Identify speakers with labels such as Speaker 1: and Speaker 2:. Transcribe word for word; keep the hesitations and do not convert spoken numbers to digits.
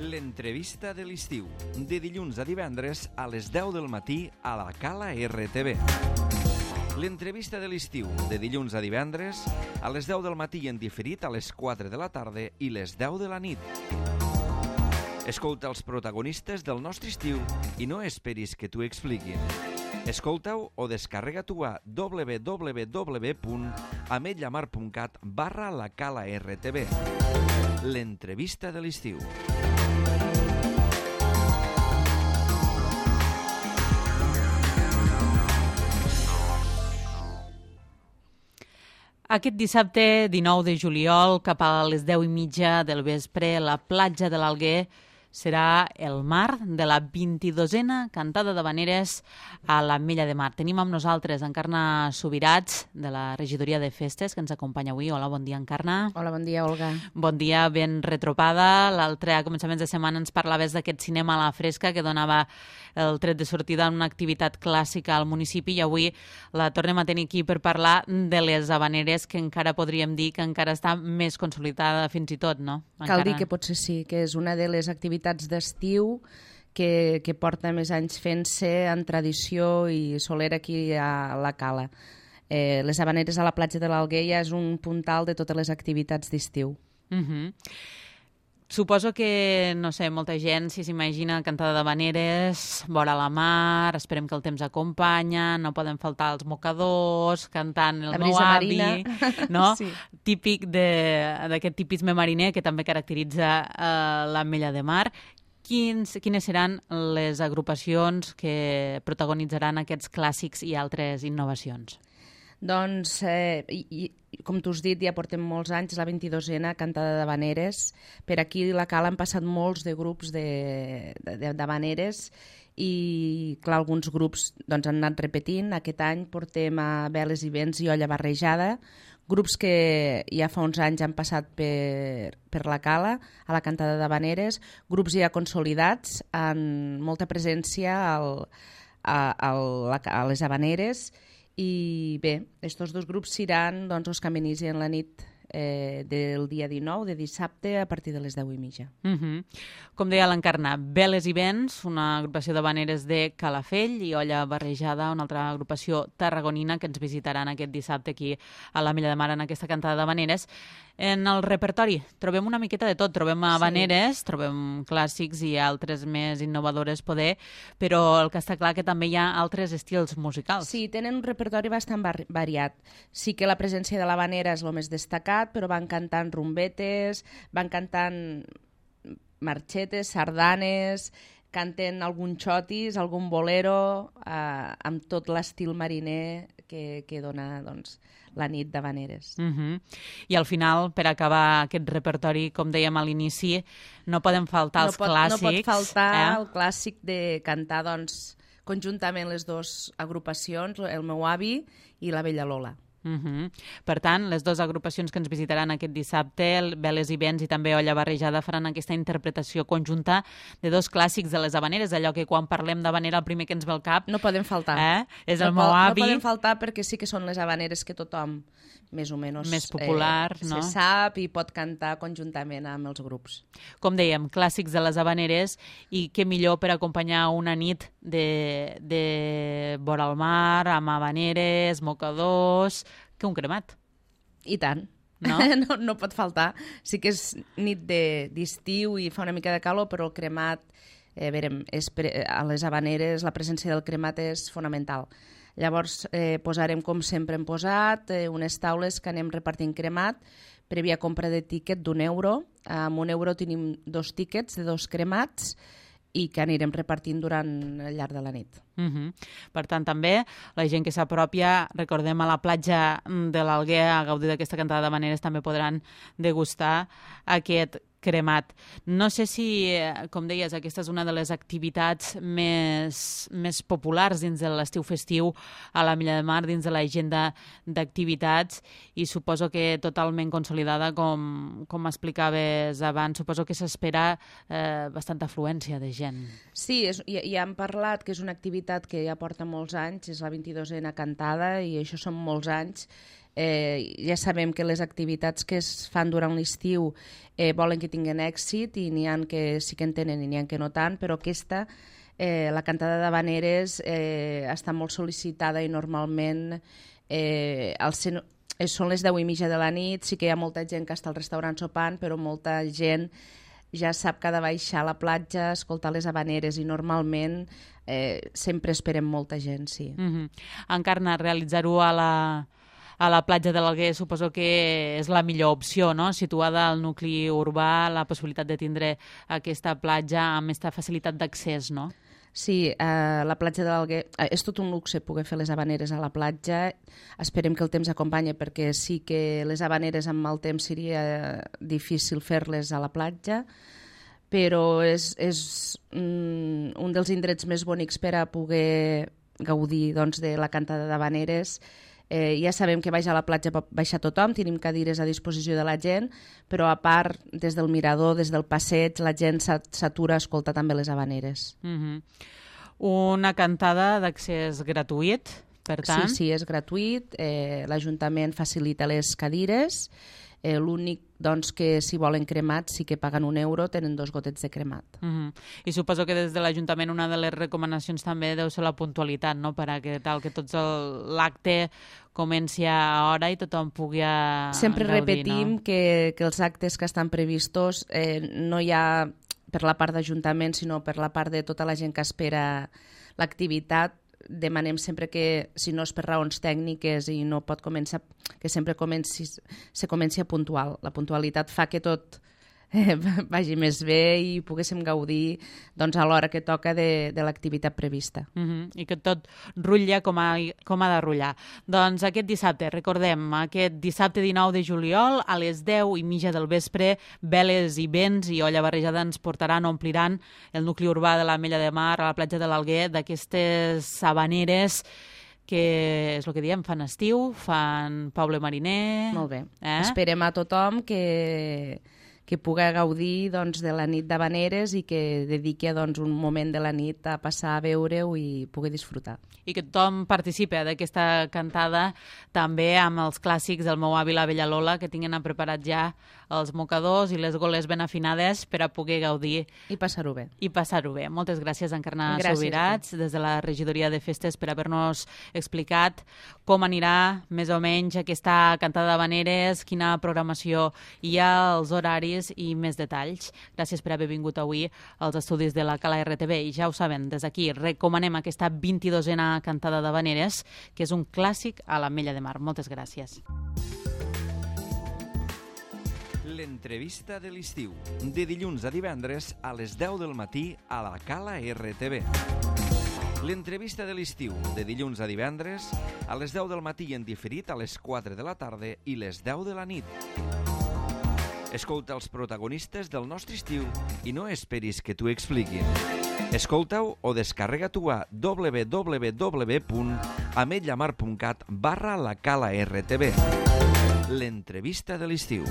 Speaker 1: L'entrevista de l'estiu, de dilluns a divendres a les deu del matí a la Cala R T V. L'entrevista de l'estiu, de dilluns a divendres a les deu del matí i en diferit a les quatre de la tarda i les deu de la nit. Escolta els protagonistes del nostre estiu i no esperis que t'ho expliquin. Escolta-ho o descarrega-t'ho a w w w punt ametlllamar punt cat barra la Cala R T V. L'entrevista de l'estiu.
Speaker 2: Aquest dissabte dinou de juliol, cap a les deu i mitja del vespre, la platja de l'Alguer serà el mar de la vint-i-dosena cantada d'havaneres a l'Ametlla de Mar. Tenim amb nosaltres Encarna Subirats, de la Regidoria de Festes, que ens acompanya avui. Hola, bon dia, Encarna.
Speaker 3: Hola, bon dia, Olga.
Speaker 2: Bon dia, ben retropada. L'altre, a començaments de setmana, ens parlaves d'aquest cinema a la fresca que donava el tret de sortida en una activitat clàssica al municipi i avui la tornem a tenir aquí per parlar de les havaneres, que encara podríem dir que encara està més consolidada fins i tot, no? Encara...
Speaker 3: Cal dir que potser sí, que és una de les activitats d'estiu que, que porta més anys fent-se en tradició i solera aquí a la Cala. Eh, les havaneres a la platja de l'Alguer ja és un puntal de totes les activitats d'estiu.
Speaker 2: Uh-huh. Suposo que, no sé, molta gent, si s'imagina cantada d'havaneres, vora la mar, esperem que el temps acompanya, no poden faltar els mocadors, cantant el meu avi, no? Sí. Típic d'aquest tipisme mariner que també caracteritza uh, l'Ametlla de Mar. Quins, quines seran les agrupacions que protagonitzaran aquests clàssics i altres innovacions?
Speaker 3: Doncs, eh, i, i, com tu has dit, ja portem molts anys, la vint-i-dosena cantada d'havaneres. Per aquí a la Cala han passat molts de grups d'havaneres i, clar, alguns grups doncs, han anat repetint. Aquest any portem a Veles i Vents i Olla Barrejada, grups que ja fa uns anys han passat per, per la Cala, a la cantada d'havaneres, grups ja consolidats, amb molta presència al, a, a, la, a les havaneres. I bé, aquests dos grups seran doncs, els que amenicen la nit eh, del dia dinou, de dissabte, a partir de les deu i mitja.
Speaker 2: Uh-huh. Com deia l'Encarna, Veles i Vents, una agrupació d'havaneres de Calafell, i Olla Barrejada, una altra agrupació tarragonina que ens visitaran aquest dissabte aquí a l'Ametlla de Mar en aquesta cantada d'havaneres. En el repertori trobem una miqueta de tot, trobem havaneres, sí. Trobem clàssics i altres més innovadores poder, però el que està clar que també hi ha altres estils musicals.
Speaker 3: Sí, tenen un repertori bastant variat. Sí que la presència de l'havanera és el més destacat, però van cantant rumbetes, van cantant marxetes, sardanes, canten algun xotis, algun bolero, eh, amb tot l'estil mariner que, que dona doncs, la nit d'havaneres.
Speaker 2: Uh-huh. I al final, per acabar aquest repertori, com dèiem a l'inici, no poden faltar
Speaker 3: no
Speaker 2: els
Speaker 3: pot,
Speaker 2: clàssics.
Speaker 3: No pot faltar
Speaker 2: eh?
Speaker 3: el clàssic de cantar doncs, conjuntament les dues agrupacions, el meu avi i la Bella Lola.
Speaker 2: Uh-huh. Per tant, les dues agrupacions que ens visitaran aquest dissabte, Veles i Vents i també Olla Barrejada, faran aquesta interpretació conjunta de dos clàssics de les havaneres, allò que quan parlem d'havanera el primer que ens ve al cap...
Speaker 3: No poden faltar.
Speaker 2: Eh? És el
Speaker 3: no
Speaker 2: meu avi.
Speaker 3: No poden faltar perquè sí que són les havaneres que tothom més o menys
Speaker 2: més popular,
Speaker 3: eh,
Speaker 2: no?
Speaker 3: se sap i pot cantar conjuntament amb els grups.
Speaker 2: Com dèiem, clàssics de les havaneres i què millor per acompanyar una nit de, de vora el mar, amb havaneres, mocadors, que un cremat.
Speaker 3: I tant.
Speaker 2: No?
Speaker 3: no, no pot faltar. Sí que és nit d'estiu i fa una mica de calor, però el cremat, eh, verem, és pre a les havaneres la presència del cremat és fonamental. Llavors eh, posarem, com sempre hem posat, eh, unes taules que anem repartint cremat, prèvia compra de tíquet d'un euro. Amb un euro tenim dos tíquets de dos cremats i que anirem repartint durant el llarg de la nit.
Speaker 2: Uh-huh. Per tant, també, la gent que s'apropia, recordem, a la platja de l'Alguer, a gaudir d'aquesta cantada d'havaneres, també podran degustar aquest cremat. No sé si, com deies, aquesta és una de les activitats més, més populars dins de l'estiu festiu a l'Ametlla de Mar, dins de l'agenda d'activitats, i suposo que totalment consolidada, com, com explicaves abans, suposo que s'espera eh, bastanta afluència de gent.
Speaker 3: Sí, és, ja, ja hem parlat que és una activitat que ja porta molts anys, és la vint-i-dosena cantada i això són molts anys. Eh, ja sabem que les activitats que es fan durant l'estiu eh, volen que tinguin èxit i n'hi ha que sí que en tenen i n'hi ha que no tant, però aquesta, eh, la cantada d'havaneres, eh, està molt sol·licitada i normalment eh, al cen... eh, són les deu i mitja de la nit, sí que hi ha molta gent que està al restaurant sopant, però molta gent ja sap que ha de baixar a la platja, escoltar les havaneres i normalment eh, sempre esperem molta gent, sí.
Speaker 2: Mm-hmm. Encarna, realitzar-ho a la... a la platja de l'Alguer suposo que és la millor opció, no? Situada al nucli urbà, la possibilitat de tindre aquesta platja amb aquesta facilitat d'accés, no?
Speaker 3: Sí, eh, la platja de l'Alguer... Eh, és tot un luxe poder fer les havaneres a la platja. Esperem que el temps acompanyi perquè sí que les havaneres amb el temps seria difícil fer-les a la platja, però és, és mm, un dels indrets més bonics per a poder gaudir doncs, de la cantada d'havaneres. Eh, ja sabem que baix a la platja pot baixar tothom, tenim cadires a disposició de la gent, però a part, des del mirador, des del passeig, la gent s'atura a escoltar també les havaneres.
Speaker 2: Mm-hmm. Una cantada d'accés gratuït, per tant?
Speaker 3: Sí, sí, és gratuït. Eh, L'Ajuntament facilita les cadires. Eh, L'únic doncs, que si volen cremat sí que paguen un euro, tenen dos gotets de cremat.
Speaker 2: Uh-huh. I suposo que des de l'Ajuntament una de les recomanacions també deu ser la puntualitat, no? Per a que tal que tots l'acte comenci a hora i tothom pugui a
Speaker 3: Sempre
Speaker 2: gaudir,
Speaker 3: repetim
Speaker 2: no?
Speaker 3: que, que els actes que estan previstos eh, no hi ha per la part d'Ajuntament, sinó per la part de tota la gent que espera l'activitat. Demanem sempre que, si no és per raons tècniques i no pot començar, que sempre comenci, se comenci a puntual. La puntualitat fa que tot eh, vagi més bé i poguéssim gaudir doncs, a l'hora que toca de, de l'activitat prevista.
Speaker 2: Uh-huh. I que tot rutlla com ha, com ha de rutllar. Doncs aquest dissabte, recordem, aquest dissabte dinou de juliol, a les deu i mitja del vespre, veles i vents i olla barrejada ens portaran, ompliran el nucli urbà de l'Ametlla de Mar, a la platja de l'Alguer, d'aquestes havaneres que és el que diem, fan estiu, fan poble mariner...
Speaker 3: Molt bé.
Speaker 2: Eh?
Speaker 3: Esperem a tothom que... que pugui gaudir doncs, de la nit d'havaneres i que dediqui doncs, un moment de la nit a passar a veure-ho i pugui disfrutar.
Speaker 2: I que tothom participi d'aquesta cantada també amb els clàssics del meu avi la Vella Lola, que tinguin preparat ja els mocadors i les goles ben afinades per a poder gaudir.
Speaker 3: I passar-ho bé.
Speaker 2: I passar-ho bé. Moltes gràcies, Encarna
Speaker 3: Gràcies,
Speaker 2: Subirats, des de la Regidoria de Festes, per haver-nos explicat com anirà més o menys aquesta cantada d'havaneres, quina programació hi ha, els horaris i més detalls. Gràcies per haver vingut avui als estudis de la Cala R T V. I ja ho saben, des d'aquí recomanem aquesta vint-i-dosena cantada d'havaneres, que és un clàssic a l'Ametlla de Mar. Moltes gràcies.
Speaker 1: L'entrevista de l'estiu, de dilluns a divendres a les deu del matí a la Cala R T V. L'entrevista de l'estiu, de dilluns a divendres a les deu del matí en diferit a les quatre de la tarda i les deu de la nit. Escolta els protagonistes del nostre estiu i no esperis que t'ho expliquin. Escolta-ho o descarrega-t'ho a w w w punt ametlamar punt cat barra la Cala R T V. L'entrevista de l'estiu.